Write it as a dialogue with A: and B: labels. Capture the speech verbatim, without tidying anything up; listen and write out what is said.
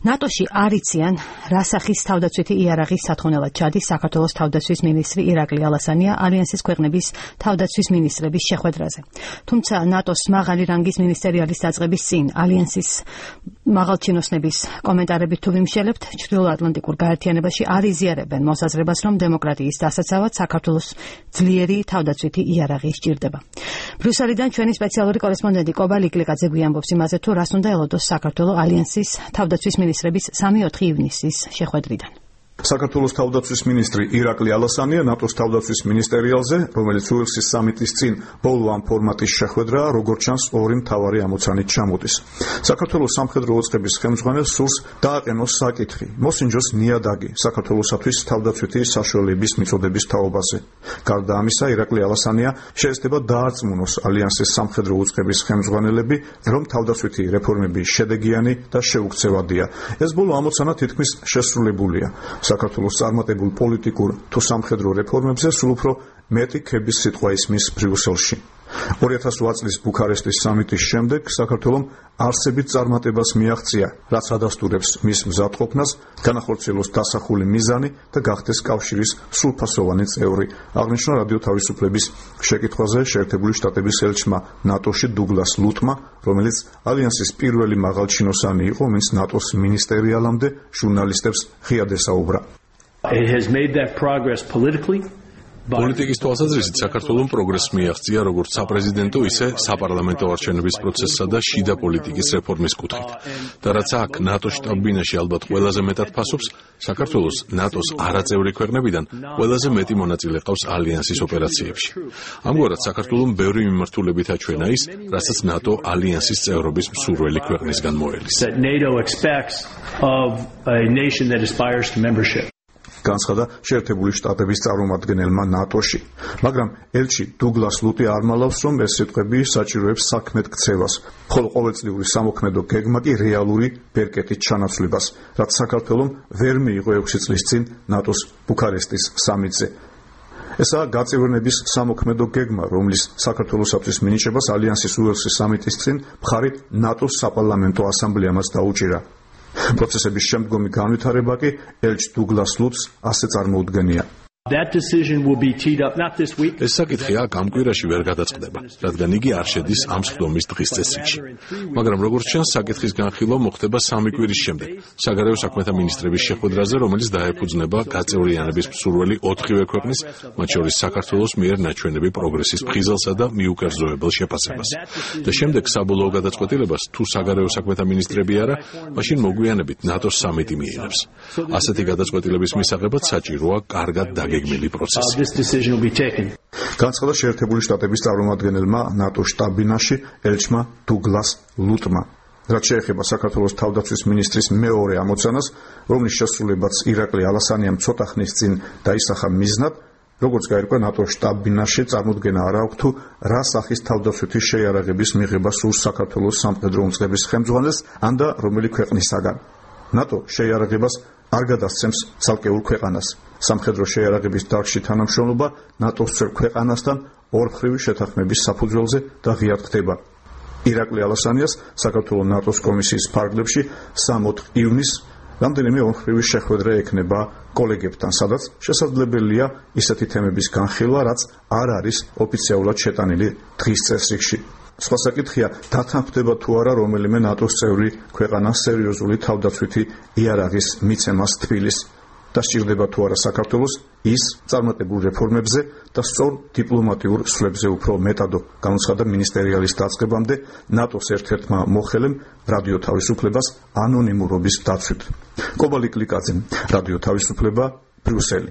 A: ნატოში არ იციან, რა სახის თავდაცვითი იარაღის სათხოვნელად ჩადის საქართველოს თავდაცვის მინისტრი ირაკლი ალასანია ალიანსის ქვეყნების თავდაცვის მინისტრების შეხვედრაზე. თუმცა ნატოს მაღალი რანგის მინისტერიალის დაწყების წინ ალიანსის მაღალჩინოსნების კომენტარებით თუ ვიმშელებთ, ჩრდილოატლანტიკურ გაერთიანებაში არ იზიარებენ მოსაზრებას, რომ დემოკრატიის დასაცავად საქართველოს ძლიერი თავდაცვითი იარაღი სჭირდება. ბრიუსელიდან ჩვენი სპეციალური კორესპონდენტი კობა ლიკლიკაძე გვიამბობს იმაზე, თუ რას უნდა ელოდოს საქართველოს ალიანსის თავდაცვის მინისტრების სამი-ოთხი ივნისის შეხვედრიდან.
B: საქართველოს თავდაცვის მინისტრი ირაკლი ალასანია ნატოს თავდაცვის მინისტერიალზე, რომელიც უელსის სამიტის წინ ბოლო ამ ფორმატის შეხვედრაა, როგორც ჩანს, ორი მთავარი ამოცანით ჩამოდის. საქართველოს სამხედრო უწყების ხელმძღვანელს სურს დააყენოს საკითხი, მოსინჯოს ნიადაგი საქართველოსათვის თავდაცვითი საშუალების მიწოდების თაობაზე. გარდა ამისა, ირაკლი ალასანია შეეცდება დაარწმუნოს ალიანსის სამხედრო უწყების ხელმძღვანელები, რომ თავდაცვითი რეფორმები შედეგიანი და შეუქცევადია. ეს ბოლო ამოცანა თითქმის შესრულებულია. საქართველოს წარმატებულ პოლიტიკურ თუ სამხედრო რეფორმებზე სულ უფრო მეტი ქების სიტყვა ისმის ბრიუსელში. ორი ათას ოთხ წლის ბუქარესტის სამიტის შემდეგ საქართველომ არსებით წარმატებას მიაღწია, რაც ადასტურებს მის მზადყოფნას, განახორციელოს დასახული მიზანი და გახდეს კავშირის სრულფასოვანი წევრი. აღნიშნა რადიო თავისუფლების შეკითხვაზე შეერთებული შტატების ელჩმა ნატოში დუგლას ლუტმა, რომელიც ალიანსის პირველი მაღალჩინოსანი იყო, ვინც ნატოს მინისტერიალამდე ჟურნალისტებს ღიად ესაუბრა.
C: It has made that progress politically.
D: პოლიტიკის თვალსაზრისით საქართველოს პროგრესს მიაღწია როგორც საპრეზიდენტო, ისე საპარლამენტო არჩევნების პროცესსა და შიდა პოლიტიკის რეფორმის კუთხით. და რაც აქ ნატოს შტაბ-ბინაში ალბათ ყველაზე მეტად ფასობს, საქართველოს ნატოს არაწევრი ქვეყნებიდან ყველაზე მეტი მონაწილე ყავს ალიანსის ოპერაციებში. ამგვარად საქართველოს ბევრი მიმართულებით აჩვენა ის, რასაც ნატო ალიანსის წევრობის მსურველი ქვეყნისგან მოელის.
B: განცხადა შეერთებული შტატების წარმომადგენელმა ნატოში. მაგრამ ელჩი დუგლას ლუტი არ მალავს, რომ ეს სიტყვები საჭიროებს საქმედ ქცევას, ხოლო ყოველწლიური სამოქმედო გეგმა კი რეალური ბერკეტით ჩანაცვლებას, რაც საქართველომ ვერ მიიღო ექვსი წლის წინ ნატოს ბუქარესტის სამიტზე. ესაა გაწევრიანების სამოქმედო გეგმა, რომლის საქართველოსათვის მინიჭებას ალიანსის უელსის სამიტის წინ მხარი ნატოს საპარლამენტო ასამბლეამაც დაუჭირა. პროცესების შემდგომი განვითარება კი ელჩ დუგლას ლუტს ასე წარმოუდგენია.
D: ეს საკითხი აქ ამ კვირაში ვერ გადაწყდება, რადგან იგი არ შედის ამ სხდომის დღის წესრიგში. მაგრამ როგორც ჩანს, საკითხის განხილვა მოხდება სამი კვირის შემდეგ, საგარეო საქმეთა მინისტრების შეხვედრაზე, რომელიც დაეფუძნება გაწევრიანების მსურველი ოთხივე ქვეყნის, მათ შორის საქართველოს მიერ ნაჩვენები პროგრესის ფხიზელსა და მიუკერძოებელ შეფასებას. და შემდეგ საბოლოო გადაწყვეტილებას, თუ საგარეო საქმეთა მინისტრები არა, მაშინ მოგვიანებით ნატოს სამიტი მიიღებს. ასეთი გადაწყვეტილების მისაღებად საჭიროა კარგად გეგმილი პროცესი.
B: განცხადა შეერთებული შტატების წარმომადგენელმა ნატოს შტაბ-ბინაში ელჩმა დუგლას ლუტმა. რაც შეეხება საქართველოს თავდაცვის მინისტრის მეორე ამოცანას, რომლის შესრულებაც ირაკლი ალასანიამ ცოტა ხნის წინ დაისახა მიზნად, როგორც გაირკვა ნატოს შტაბ-ბინაში წარმოდგენა არ აქვს თუ რა სახის თავდაცვითი შეიარაღების მიღება სურს საქართველოს სამხედრო უწყების ხელმძღვანელს, ან და რომელი ქვეყნისაგან. ნატო შეიარაღებას არ გადასცემს ცალკეულ ქვეყანას. სამხედრო შეიარაღების დარგში თანამშრომლობა ნატოს წევრ ქვეყანასთან ორმხრივი შეთანხმების საფუძველზე და ღიად ხდება. ირაკლი ალასანიას საქართველოს ნატოს კომისიის ფარგლებში სამი-ოთხ ივნისს რამდენიმე ორმხრივი შეხვედრა ექნება კოლეგებთან, სადაც შესაძლებელია ისეთი თემების განხილვა, რაც არ არის ოფიციალურად შეტანილი დღის წესრიგში. სხვა საკითხია, დათანხმდება თუ არა რომელიმე ნატოს წევრი ქვეყანა სერიოზული თავდაცვითი იარაღის მიცემას თბილის და სჭირდება თუ არა საქართველოს ის წარმატებულ რეფორმებზე და სწორ დიპლომატიურ სვლებზე უფრო მეტადო, განაცხადა მინისტერიალის დაწყებამდე ნატოს ერთ-ერთმა მოხელემ რადიო თავისუფლებას ანონიმურობის დაცვით. კობა ლიკლიკაძე, რადიო თავისუფლება, ბრიუსელი.